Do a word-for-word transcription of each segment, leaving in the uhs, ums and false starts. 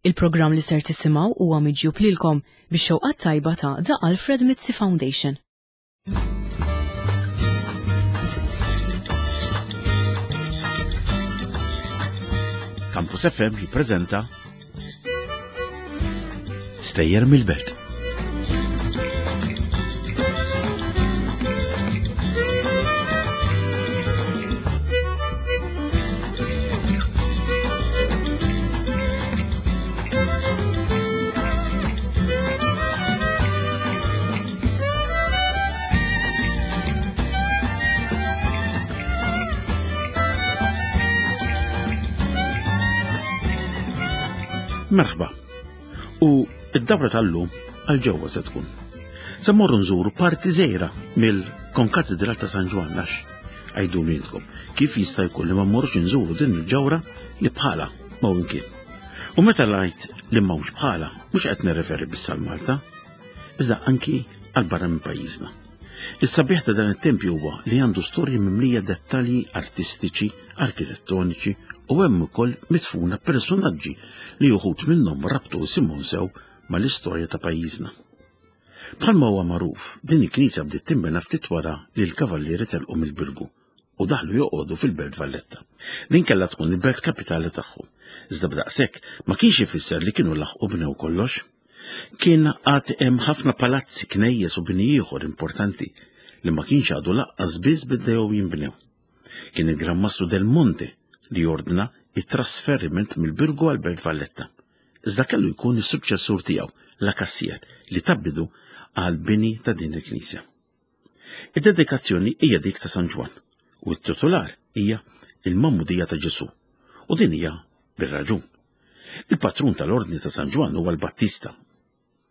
Il-programm li ser tisimgħu huwa miġjub lilkom bix-xewqat tajba ta' The Alfred Mizzi Foundation. Campus F M jippreżenta Stejjer mill-Belt. Merħba. U id-dawra tal-lum għal ġewwa se tkun. Se mmorru nżuru parti żgħira mill-Konkatedral ta' San Ġwann, għax għidu intkom kif jista' jkun li ma mmorrux nżuru din il-ġawra li bħala ma kien. U meta ngħid li m'hawnx bħala, mhux qed nirreferi biss għal Malta, iżda anki għal barra minn pajjiżna. Is-sabiħ ta' dan it-tempju huwa li għandu storji mimlija dettalji artistiċi, arkitettoniċi u hemm ukoll mitfuna personaġġi li uħud minnhom rabtu isimhom sew mal-istorja ta' pajjiżna. Bħalma huwa magħruf, din il-knisja bdiet tinbena ftit wara li l-kavallieri telqu mill-Birgu u daħlu joqogħdu fil-Belt Valletta. Din kellha tkun il-belt kapitali tagħhom. Iżda b'daqshekk ma kienx ifisser li kienu laħqu bnew kollox. Kien għad hemm ħafna palazzi, knejjes u bini ieħor importanti li ma kienx għadu laqqas biss bdew jinbnew. Kien il-Gran Mastru del Monte li ordna it-trasferiment mill-Birgu għal Belt Valletta. Iżda kellu jkun is-suċċessur tiegħu, La Cassier, li ta bidu għal bini ta' din il-knisja. Id-dedikazzjoni hija dik ta' San Ġwann u t-titular hija il-Magħmudija ta' Ġesù, u din hija bir-raġun. Il-patrun tal-Ordni ta' San Ġwann huwa l-Battista,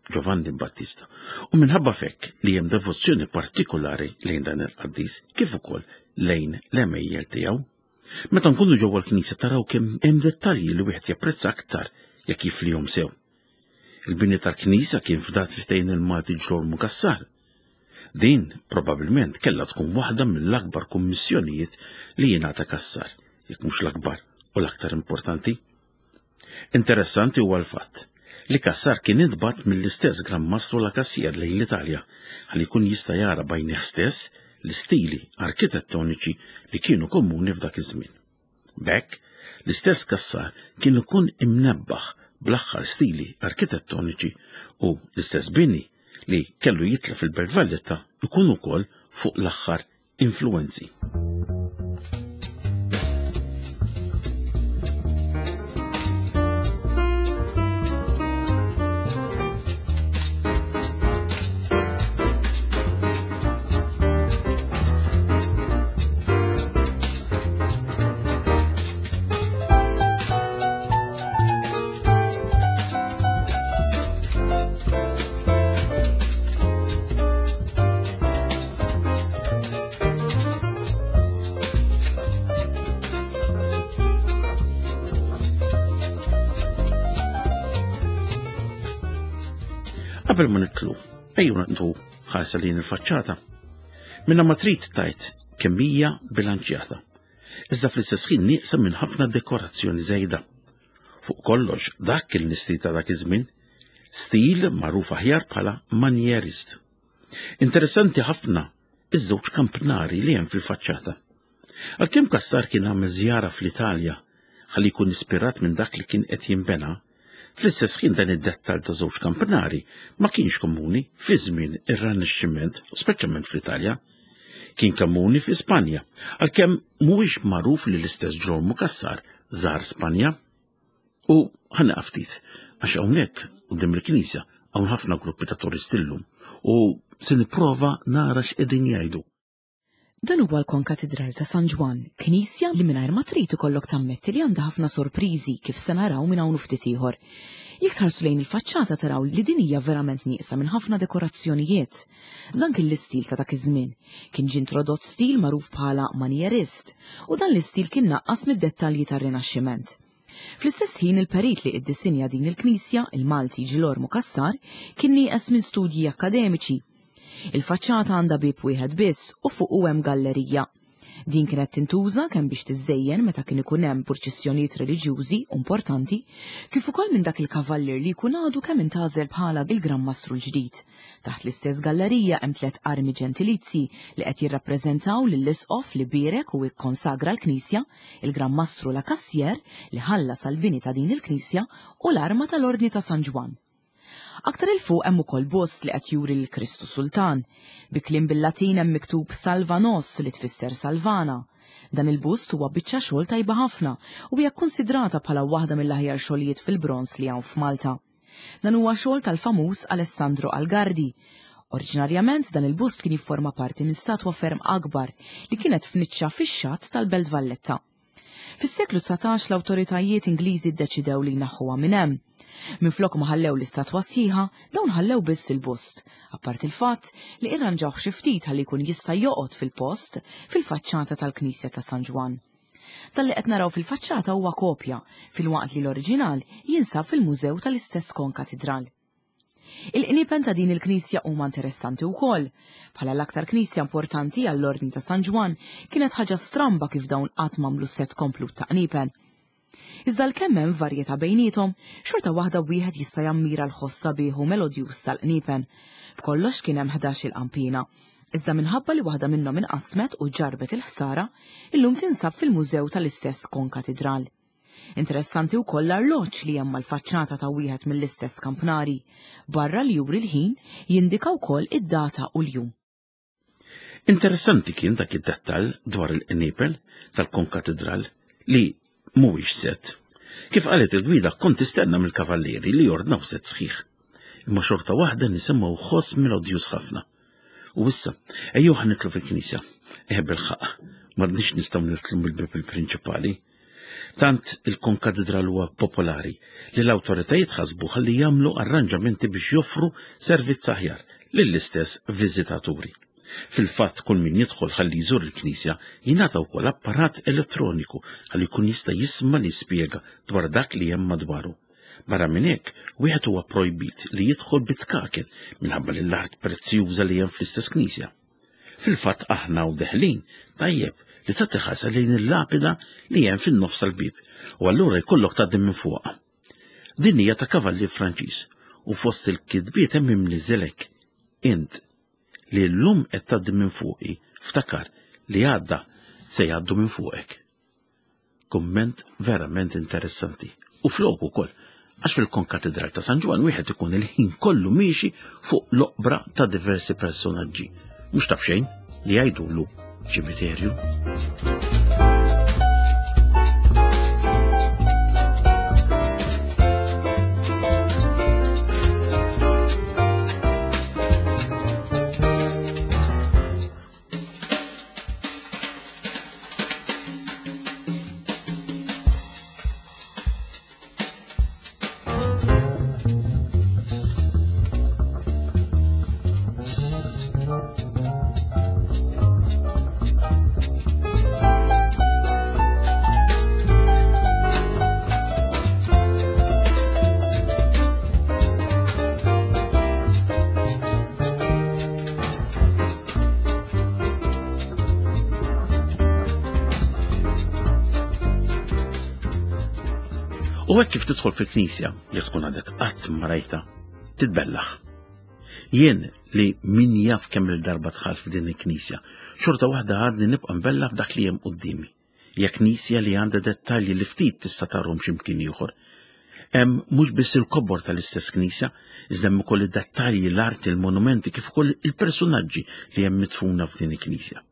Giovanni Battista, u minħabba fekk li hemm devozzjoni partikolari lejn dan il-qaddis kif ukoll lejn l-għemejjel tiegħu. Meta nkunu ġewwa l-knisja taraw kemm hemm dettalji li wieħed japprezza aktar jekk jiflihom sew. Il-bini tal-knisja kien fdat f'idejn il-Malti Ġlormu Cassar. Din probabbilment kellha tkun waħda mill-akbar kummissjonijiet li jingħata Cassar, jekk mhux l-akbar u l-aktar importanti. Interessanti huwa l-fatt li Cassar kien intbagħat mill-istess Gran Mastru La Cassier lejn l-Italja ħalli jkun jista' jara b'għajnejh stess l-istili arkitettoniċi li kienu komuni f'dak iż-żmien. B'hekk, l-istess Cassar kien ikun imnebbaħ bl-aħħar stili arkitettoniċi u l-istess bini li kellu jitla fil-Belt Valletta ikun ukoll fuq l-aħħar influenzi. Qabel ma nitlu, ejju naqdu ħarsa lejn il-faċċata. Minna ma trid tajt kemm hija bilanċjata. Iżda fl-istess ħin nieqsa minn ħafna dekorazzjoni żejda. Fuq kollox dak kien l-istil ta' dak iż-żmien, stil magħruf aħjar bħala manjerist. Interessanti ħafna iż-żewġ kampnari li hemm fil-faċċata. Għalkemm Cassar kien għamel żjara fl-Italja ħalli jkun ispirat minn dak li kien qed jinbena, fl-istess ħin dan id-dettal ta' żewġ kampnari ma kienx komuni fi żmien ir-Rinaxximent, speċjalment fl-Italja. Kien komuni fi Spanja, għalkemm mhuwiex magħruf li l-istess Ġlormu Cassar żar Spanja. U ħa nieqaf ftit, għax hawnhekk quddiem il-knisja hawn ħafna gruppi ta' turisti llum u se nipprova nara x'qegħdin jgħidu. Dan huwa l-Konkatedral ta' San Ġwann, knisja li mingħajr ma trid ikollok tammetti li għandha ħafna sorpriżi kif se naraw minn hawn ftit ieħor. Jekk tħarsu lejn il-faċċata taraw li din hija verament nieqsa minn ħafna dekorazzjonijiet. Dan kien l-istil ta' dak iż-żmien. Kien ġie introdott stil magħruf bħala manjerist u dan l-istil kien naqqas mid-dettalji tar-Rinaxximent. Fl-istess ħin il-perit li iddisinja din il-knisja, il-Malti Ġilormu Cassar, kien nieqes minn studji akkademiċi. Il-faċċata għandha bieb wieħed biss u fuqu hemm gallerija. Din kienet tintuża kemm biex tiżżejjen meta kien ikun hemm purċissjonijiet reliġjużi importanti, kif ukoll minn dak il-kavallier li jkun għadu kemm intgħażel bħala il-Gran Mastru l-ġdid. Taħt l-istess gallerija hemm tliet armi ġentilizzi li qed jirrappreżentaw lill-isqof li bierek u ikkonsagra l-Knisja, il-Gran Mastru La Cassière li ħallas għall-bini ta' din il-Knisja u l-arma tal-Ordni ta' San Ġwann. Aktar 'il fuq hemm ukoll bust li qed juri lil Kristu Sultan. Bi kliem bil-Latin hemm miktub Salva Nos li tfisser Salvana. Dan il-bust huwa biċċa xogħol tajba ħafna u hija kkunsidrata bħala waħda mill-aħjar xogħlijiet fil-bronż li hawn f'Malta. Dan huwa xogħol tal-famuż Alessandro Algardi. Oriġinarjament dan il-bust kien jifforma parti minn statwa ferm akbar li kienet f'niċċa fix-xatt tal-Belt Valletta. Fis-seklu dsatax l-awtoritajiet Ingliżi ddeċidew li jnaħħuha minn hemm. Minflok ma ħallew l-istatwa sħiħa, dawn ħallew biss il-bust, apart il-fatt li irranġawh xi ftit ħalli jkun jista' joqgħod fil-post fil-faċċata tal-Knisja ta' San Ġwann. Dan li qed naraw fil-faċċata huwa kopja, filwaqt li l-oriġinal jinsab fil-mużew tal-istess konkatidral. Il-qniepen ta' din il-knisja huma interessanti wkoll. Bħala l-aktar knisja importanti għall-Ordni ta' San Ġwann, kienet ħaġa stramba kif dawn qatt m'għamlu set komplut ta' qniepen. Iżda l-kemm hemm varjetà bejniethom, xorta waħda wieħed jista' jammira l-ħoss sabiħ u melodjuż tal-qniepen. B'kollox kien hemm ħdax il-qampina. Iżda minħabba li waħda minnhom inqasmet u ġarbet il-ħsara, illum tinsab fil-mużew tal-istess konkatidral. Interessanti wkoll l-arloġġ li hemm mal-faċċata ta' wieħed mill-istess kampnari. Barra li juri l-ħin, jindika wkoll id-data u l-jum. Interessanti kien dak id-dettall dwar il-qniepel tal-konkatidral li mhuwiex set. Kif qalet il-gwida kont tistenna mill-kavallieri li jordnaw set sħiħ. Imma xorta waħda nisimgħu ħoss melodjuż ħafna. U issa, ejjew ħa nitlu fil-knisja. Eh bil-ħaqq, m'għadniex nistgħu nitlu mill-bieb il-prinċipali. Tant il-konkatedral huwa popolari li l-awtoritajiet ħasbu ħalli jagħmlu arranġamenti biex joffru servizz aħjar lill-istess viżitaturi. Fil-fatt kull min jidħol ħalli jżur il-knisja jingħata wkoll apparat elettroniku ħalli jkun jista' jisma' li jispjega dwar dak li hemm madwaru. Barra minn hekk, wieħed huwa projbit li jidħol bitkaken minħabba li l-art prezzjuża li hemm fl-istess knisja. Fil-fatt aħna u deħlin tajjeb li tagħti ħarsa lejn il-lapida li hemm fin-nofs tal-bieb u allura jkollok tgħaddi minn fuqha. Din hija ta' kavallier Franċiż u fost il-kitbiet hemm imniżelek int li llum qed tgħaddi minn fuqi, ftakar li għadda se jgħaddu minn fuqek. Kumment verament interessanti u flok ukoll, għax fil-konkatedral ta' San Ġwann wieħed ikun il-ħin kollu miexi fuq l-oqbra ta' diversi personaġġi, mhux taf xejn li jgħidulu ċimiterju. U hekk kif tidħol fil-knisja, jekk tkun għadek qatt ma rajta, titbellaħ. Jien li min jaf kemm il-darba dħalt f'din il-knisja, xorta waħda għadni nibqa' nbellaħ b'dak li hemm quddiemi. Hija knisja li għandha dettalji li ftit tista' tarhom x'imkien ieħor. Hemm mhux biss il-kobor tal-istess knisja, iżda hemm ukoll id-dettalji, l-arti, il-monumenti kif ukoll il-personaġġi li hemm midfuna f'din il-knisja.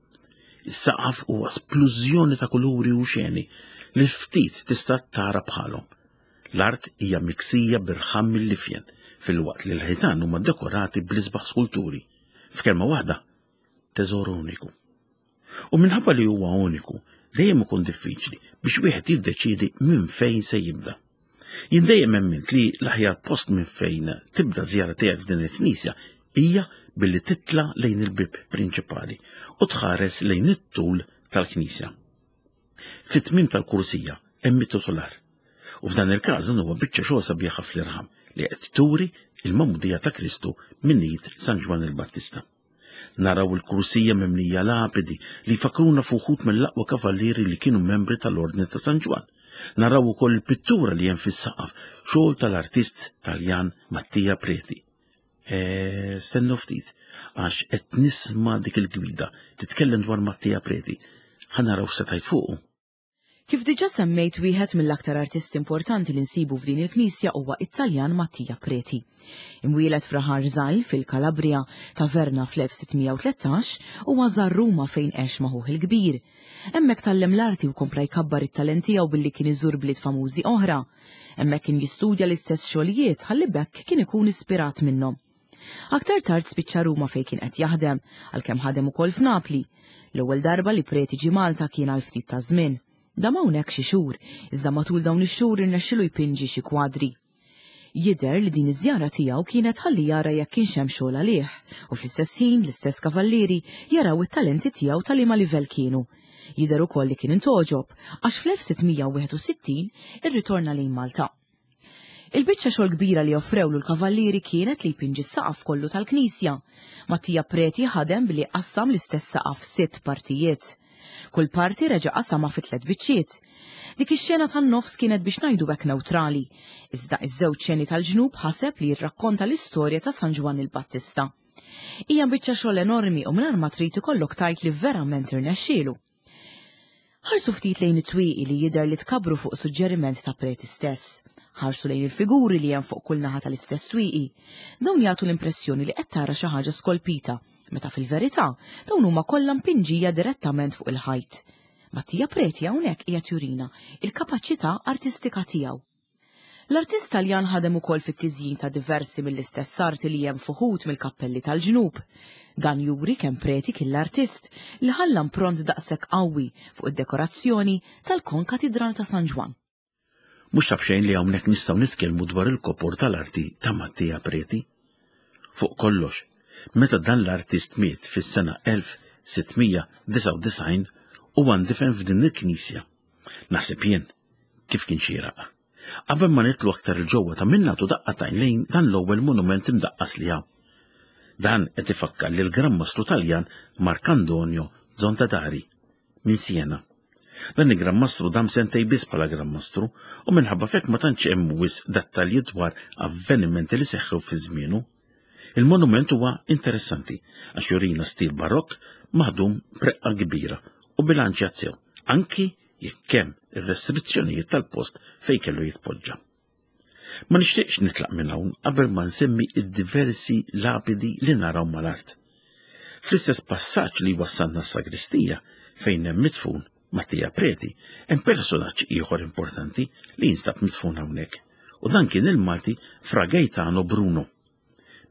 Is-saqaf huwa splużjoni ta' kuluri u xeni li ftit tista' tara bħalhom. L-art hija miksija birħam mill-lifjen, fil-waqt li l-ħitan huma dekorati bl-isbaħ skulturi. F'kelma waħda, teżor uniku. U minħabba li huwa uniku, dejjem ikun diffiċli biex wieħed jiddeċiedi minn fejn se jibda. Jien dejjem emmint li l-aħjar post minn fejn tibda żjara tiegħek f'din il-knisja hija billi titla' lejn il-bieb prinċipali u tħares lejn it-tul tal-knisja. Fit-tmiem tal-kursija hemm it-titular. U f'dan il-każ dan huwa biċċa xogħol sabiħa fl-irħam li qed turi il-magħmudija ta' Kristu minn id San Ġwann il-Battista. Naraw il-kursija mimlija lapidi li jfakkruna f'uħud mill-aqwa kavallieri li kienu membri tal-Ordni ta' San Ġwann. Naraw ukoll il-pittura li hemm fis-saqaf, xogħol tal-artist Taljan Mattia Preti. E, stennu ftit, għax qed nisma' dik il-gwida titkellem dwar Mattia Preti. Ħa naraw x'se tgħid fuqu. Kif diġà semmejt, wieħed mill-aktar artisti importanti li nsibu f'din il-knisja huwa it-Taljan Mattia Preti. Imwieled f'raħal żgħir fil-Kalabria, Taverna fl-elf sitt mija u tlettax, huwa żar Ruma fejn għex ma' ħuh il-kbir. Hemmhekk tgħallem l-arti u kompla jkabbar it-talent tiegħu billi kien iżur bliet famużi oħra. Hemmhekk kien jistudja l-istess xogħlijiet ħalli b'hekk kien ikun ispirat minnhom. Aktar tard spiċċa Ruma fejn kien qed jaħdem, għalkemm ħadem ukoll f'Napli. L-ewwel darba li Preti ġie Malta kien għal ftit ta' żmien. Dam hawnhekk xi xhur, iżda matul dawn ix-xhur irnexxielu jpinġi xi kwadri. Jidher li din iż-żjara tiegħu kienet ħalli jara jekk kienx hemm xogħol għalih u fl-istess ħin l-istess kavallieri jaraw it-talenti tiegħu ta' liema livell kienu. Jidher ukoll li kien intgħoġob għax fl-elf sitt mija u wieħed u sittin irritorna lejn Malta. Il-biċċa xogħol kbira li offrewlu l-kavallieri kienet li jpinġi s-saqaf kollu tal-knisja. Mattia Preti ħadem billi qassam l-istess saqaf sitt partijiet. Kull parti reġa' qasama fi tliet biċċiet. Dik ix-xena tan-nofs kienet biex ngħidu hekk neutrali. Iżda iż-żewġ xeni tal-ġnub ħaseb li jirrakkonta l-istorja ta' San Ġwann il-Battista. Hija biċċa xogħol enormi u mingħajr ma trid ikollok tgħid li verament irnexxielu. Ħarsu ftit lejn it-twieqi li jidher li tkabru fuq suġġeriment ta' Preti stess. Ħarsu lejn il-figuri li hemm fuq kull naħa tal-istess twieqi. Dawn jagħtu l-impressjoni li qed tara xi ħaġa skolpita, meta fil-verità dawn huma kollha mpinġija direttament fuq il-ħajt. Mattia Preti hawnhekk qiegħed jurina il-kapaċità artistika tiegħu. L-artist Taljan ħadem ukoll fit-tiżjin ta' diversi mill-istess arti li hemm f'uħud mill-kappelli tal-ġnub. Dan juri kemm Preti kien l-artist li ħalla impronta daqshekk qawwi fuq id-dekorazzjoni tal-Konkatidral ta' San Ġwann. Mhux ta' b'xejn li hawnhekk nistgħu nitkellmu dwar il-kobor tal-arti ta' Mattia Preti. Fuq kollox, meta dan l-artist miet fis-sena elf sitt mija disgħa u disgħin huwa ndifen f'din il-knisja. Naħseb jien kif kien xieraq. Qabel ma nidħlu aktar 'il ġewwa, ta' min nagħtu daqqa t'għajn lejn dan l-ewwel monument imdaqqas li hawn. Dan qed ifakkar lil Gran Mastru Taljan Marcantonio Zondadari minn Siena. Dan il-Gran Mastru dam sentejn biss bħala Gran Mastru u minħabba f'hekk ma tantx hemm wisq dettalji dwar avvenimenti li seħħew fi żmienu. Il-monument huwa interessanti għax jurina stil barokk maħdum b'reqqa kbira u bilanċjat sew, anki jekk hemm ir-restrizzjonijiet tal-post fejn kellu jitpoġġa. Ma nixtieqx nitlaq minn hawn qabel ma nsemmi id-diversi lapidi li naraw mal-art. Fl-istess passaġġ li wassalna s-sagristija fejn hemm midfun Mattia Preti, hemm personaġġ ieħor importanti li jinstab midfun hawnhekk, u dan kien il-Malti Fra Gaetano Bruno.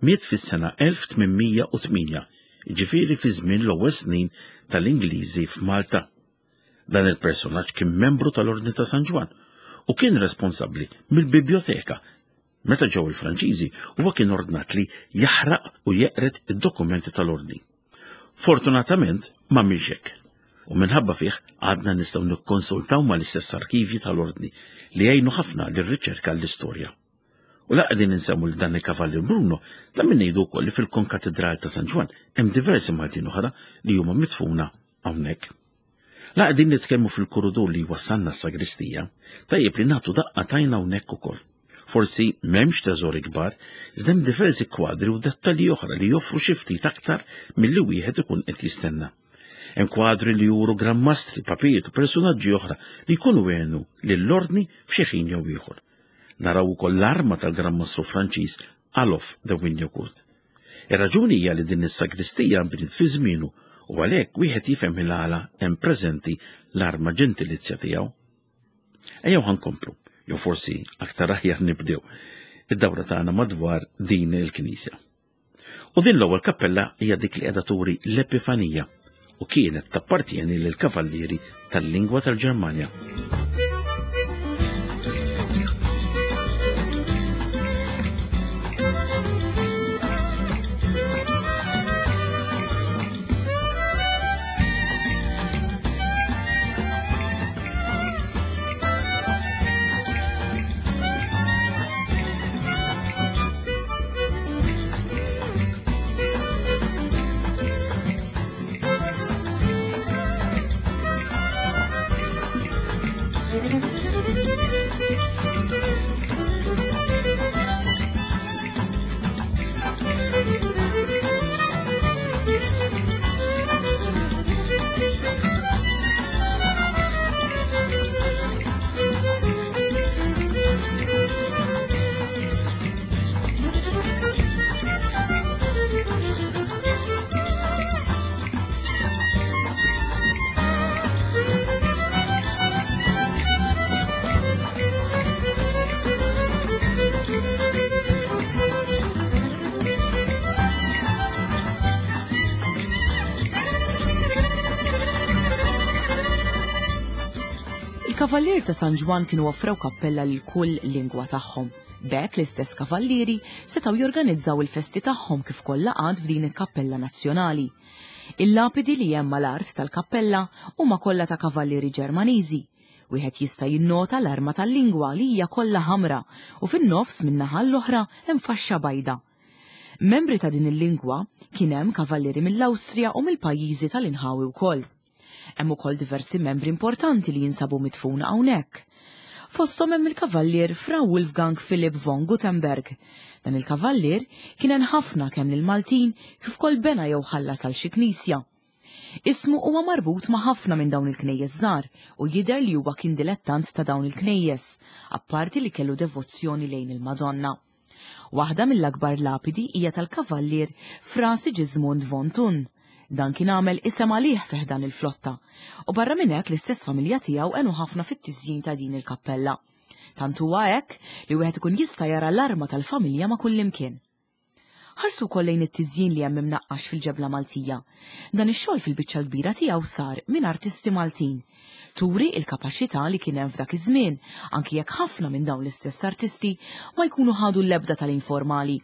Miet fis-sena elf tmien mija u tmienja, jiġifieri fi żmien l-ewwel snin tal-Ingliżi f'Malta. Dan il-personaġġ kien membru tal-Ordni ta' San Ġwann u kien responsabbli mill-biblioteka. Meta ġew il-Franċiżi, huwa kien ordnat li jaħraq u jeqred id-dokumenti tal-ordni. Fortunatament ma hekk. U minħabba fih għadna nistgħu nikkonsultaw mal-istess arkivji tal-ordni li jgħinu ħafna lir-riċerka l-istorja. U la qegħdin insemmu lil dan il-Kavallier Bruno, ta' min ngħidu wkoll li fil-Konkatedral ta' San Ġwann hemm diversi Maltin oħra li huma midfuna hawnhekk. La qegħdin nitkellmu fil-kuridur li wassalna s-sagristija, tajjeb li nagħtu daqqa t'għajn hawnhekk ukoll. Forsi m'hemmx teżori kbar, iżda hemm diversi kwadri u dettalji oħra li joffru xi ftit aktar milli wieħed ikun qed jistenna. Hemm kwadri li juru gran mastri, papijiet u personaġġi oħra li jkunu għenu lill-ordni f'xi ħin jew ieħor. Naraw ukoll l-arma tal-Gran Mastru Franċiż Alof de Wignacourt. Ir-raġuni hija li din is-sagristija nbniet fi żmienu u għalhekk wieħed jifhem il-għala hemm preżenti l-arma ġentilizja tiegħu. Ejjew ħa nkomplu, jew forsi aktar aħjar nibdew id-dawra tagħna madwar din il-knisja. U din l-ewwel kappella hija dik li qiegħda turi l-Epifanija u kienet tappartieni lil kavallieri tal-lingwa tal-Ġermanja. Il-Kavallier ta' San Ġwann kienu offrew kappella lil kull lingwa tagħhom. B'hekk l-istess kavallieri setgħu jorganizzaw il-festi tagħhom kif kollha għad f'din il-kappella nazzjonali. Il-lapidi li hemm mal-art tal-kappella huma kollha ta' kavallieri Ġermaniżi. Wieħed jista' jinnota l-arma tal-lingwa li hija kollha ħamra u fin-nofs min-naħa l-oħra hemm faxxa bajda. Membri ta' din il-lingwa kien hemm kavallieri mill-Awstrija u mill-pajjiżi tal-inħawi wkoll. Hemm ukoll diversi membri importanti li jinsabu midfuna hawnhekk. Fosthom hemm il-kavallier Fra Wolfgang Philipp von Gutenberg. Dan il-kavallier kien hemm ħafna kemm lill-Maltin kif ukoll bena jew ħallas għal xi knisja. Ismu huwa marbut ma' ħafna minn dawn il-knejjes żgħar u jidher li huwa kien dilettant ta' dawn il-knejjes, apparti li kellu devozzjoni lejn il-Madonna. Waħda mill-akbar lapidi hija tal-kavallier Fra Sigismund von Thun. Dan kien għamel isem għalih fih dan il-flotta u barra minn hekk l-istess familja tiegħu għenu ħafna fit-tiżjin ta' din il-kappella. Tant huwa hekk li wieħed ikun jista' jara l-arma tal-familja ma' kullimkien. Ħarsu wkoll lejn it-tiżjin li hemm imnaqqax fil-ġebla Maltija. Dan ix-xogħol fil-biċċa l-kbira tiegħu sar minn artisti Maltin. Turi il-kapaċità li kien hemm f'dak iż-żmien, anki jekk ħafna minn dawn l-istess artisti ma jkunu ħadu l-ebda tal-informali.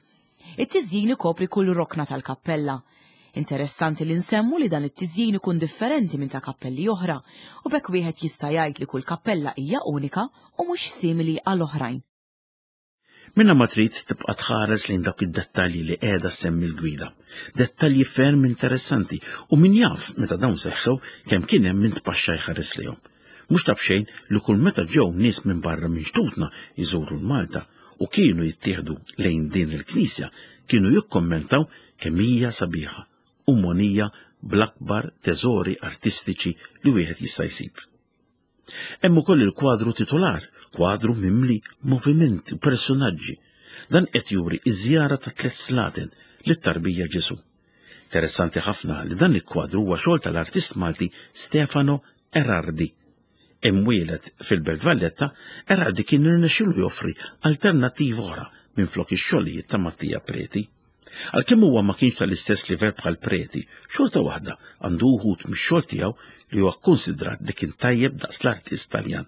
It-tiżjin ikopri kull rokna tal-kappella. Interessanti li nsemmu li dan it-tiżjin ikun differenti minn ta' kappelli oħra u b'hekk wieħed jista' jgħid li kull kappella hija unika u mhux simili għal oħrajn. Minna ma trid tibqa' tħares lejn dawk id-dettalji li qiegħda semmi l-gwida. Dettalji ferm interessanti u min jaf meta dawn seħħew kemm kien hemm min tpaxxa jħares lejhom. Mhux ta' b'xejn li kull meta ġew nies minn barra minn xtutna jżuru l-Malta u kienu jittieħdu lejn din il-knisja, kienu jikkommentaw kemm hija sabiħa u monija bl-akbar teżori artistiċi li wieħed jista' jsib. Hemm ukoll il-kwadru titular, kwadru mimli movimenti u personaġġi. Dan qed juri iż-żjara ta' tliet slaten lit-tarbija Ġesu. Interessanti ħafna li dan il-kwadru huwa xogħol tal-artist Malti Stefano Erardi. Imwieled fil-Belt Valletta, Erardi kien irnexxielu joffri alternattiva oħra minn flok ix-xogħlijiet ta' Mattia Preti. Għalkemm huwa ma kienx tal-istess livell bħal Preti, xorta waħda għandu wħud mix-xogħol tiegħu li huwa kkunsidrat li kien tajjeb daqs l-artist Taljan.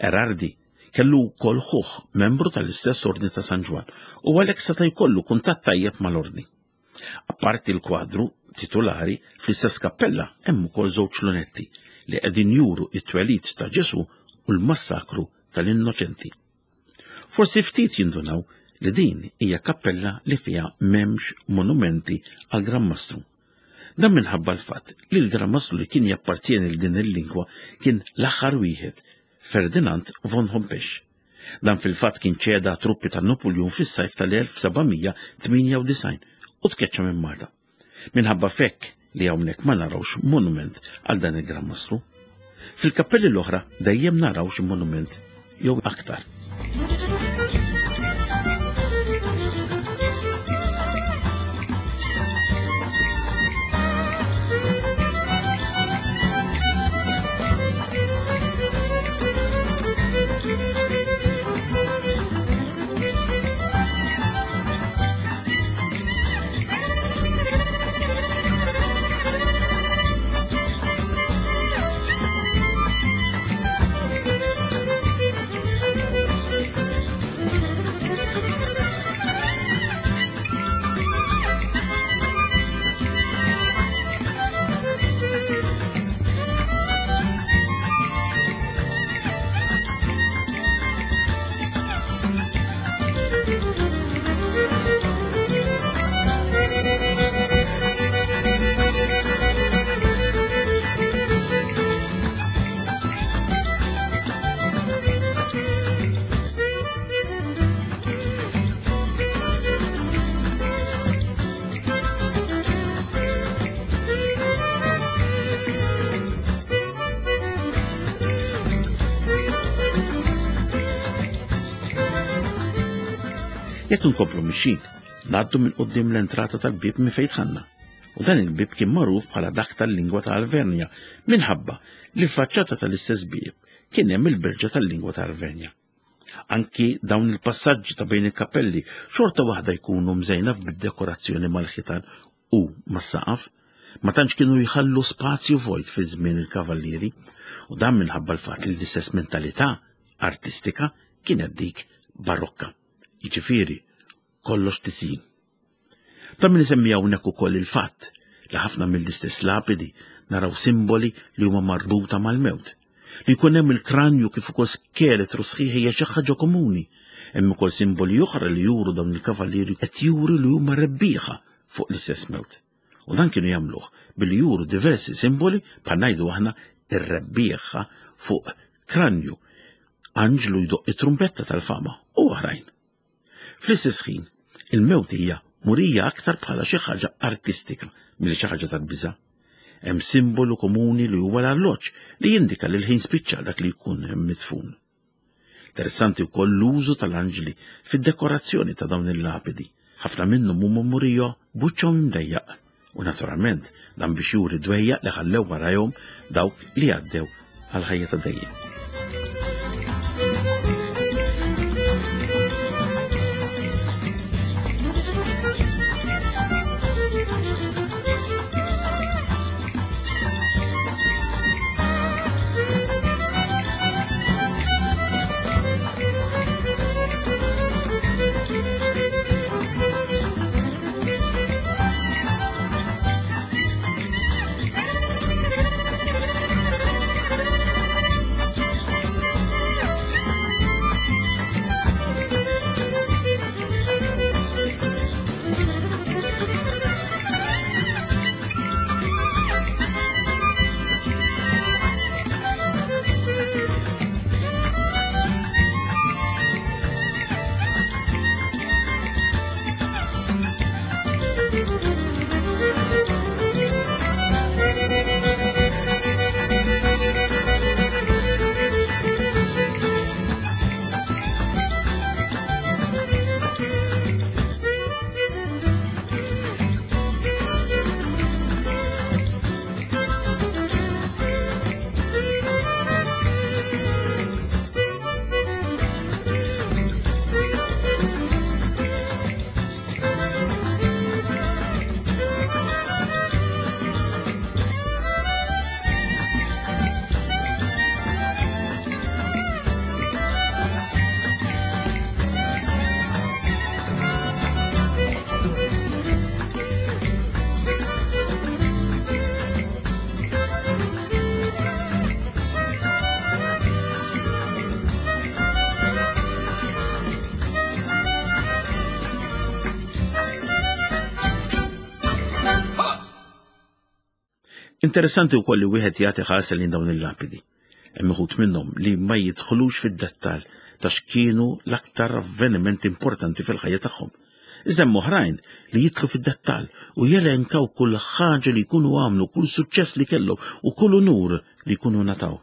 Erardi kellu wkoll ħuh membru tal-istess Ordni ta' San Ġwann u għalhekk seta' jkollu kuntatt tajjeb mal-Ordni. Apparti l-kwadru titulari, fl-istess kappella hemm ukoll żewġ lunetti li qegħdin juru t-twelid ta' Ġesu u l-massakru tal-innoċenti. Forsi ftit jindunaw li din hija kappella li fiha m'hemmx monumenti għal Gran Mastru. Dan minħabba l-fatt li l-Gran Mastru li kien jappartieni l din il-lingwa kien l-aħħar wieħed, Ferdinand von Hompesch. Dan fil-fatt kien ċeda truppi ta' Napoleon fis-sajf tal-elf sebgħamija tmienja u disgħin u tkeċċa minn Malta. Minħabba fekk li hawnhekk ma narawx monument għal dan il-Gran Mastru. Fil-kappelli l-oħra dejjem naraw xi monument jew aktar. Jekk inkomplu mixin, ngħaddu minn quddiem l-entrata tal-bieb minn fejn dħalna. U dan il-bieb kien magħruf bħala dak tal-lingwa ta' Alvernja minħabba li l-faċċata tal-istess bieb kien hemm il-berġa tal-lingwa ta' Alvernja. Anki dawn il-passaġġi ta' bejn il-kappelli xorta waħda jkunu mżejna bid-dekorazzjoni mal-ħitan u mas-saqaf. Ma tantx kienu jħallu spazju vojt fi żmien il-kavallieri, u dan minħabba l-fatt li l-istess mentalità artistika kienet dik barokka. Jiġifieri kollox tiżjin. Ta' min isemmi hawnhekk ukoll il-fatt li ħafna mill-istess lapidi naraw simboli li huma marbuta mal-mewt. Li jkun hemm il-kranju kif ukoll skeletru sħiħ hija xi ħaġa komuni. Hemm ukoll simboli oħra li juru dawn il-kavallieri qed juru li huma rebbieħa fuq l-istess mewt. U dan kienu jagħmluh billi juru diversi simboli bħal ngħidu aħna ir-rebbieħa fuq kranju, anġlu jdoq it-trumbetta tal-fama u oħrajn. Fl-istess ħin, il-mewt hija murija aktar bħala xi ħaġa artistika milli xi ħaġa tal-biża'. Hemm simbolu komuni li huwa l-arloġġ li jindika li l-ħin spiċċa dak li jkun hemm midfun. Interessanti wkoll l-użu tal-anġli fid-dekorazzjoni ta' dawn il-lapidi. Ħafna minnhom huma murija b'wiċċhom imdejjaq. U naturalment dan biex juri dwejjaq li ħallew warajhom dawk li għaddew għal ħajja ta' dejjem. Interessanti wkoll li wieħed jagħti ħarsa lejn dawn il-lapidi. Hemm uħud minnhom li ma jidħlux fid-dettall ta' x'kienu l-aktar avvenimenti importanti fil-ħajja tagħhom. Iżda hemm oħrajn li jidħlu fid-dettall u jelenkaw kull ħaġa li jkunu għamlu, kull suċċess li kellhom u kull unur li jkunu nataw.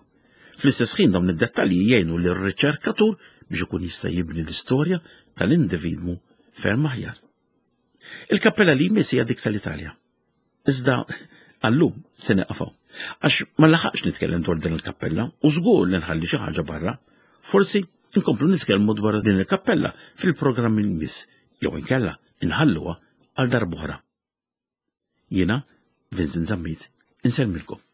Fl-istess ħin dawn id-dettalji jgħinu lir-riċerkatur biex ikun jista' jibni l-istorja tal-individwu ferm aħjar. Il-kappella li jmiss hija dik tal-Italja. Iżda għallum se nieqafaw. Għax ma laħaqx nitkellem dwar din il-kappella u żgur li nħalli xi ħaġa barra. Forsi nkomplu nitkellmu dwar din il-kappella fil-programm il-miss jew inkella inħalluha għal darb'oħra. Jiena Vincent Zammit insellmilkom.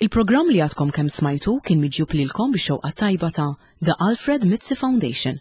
Il-programm li għadkom kemm smajtu kien miġjub lilkom bix-xewqa tajba ta' The Alfred Mizzi Foundation.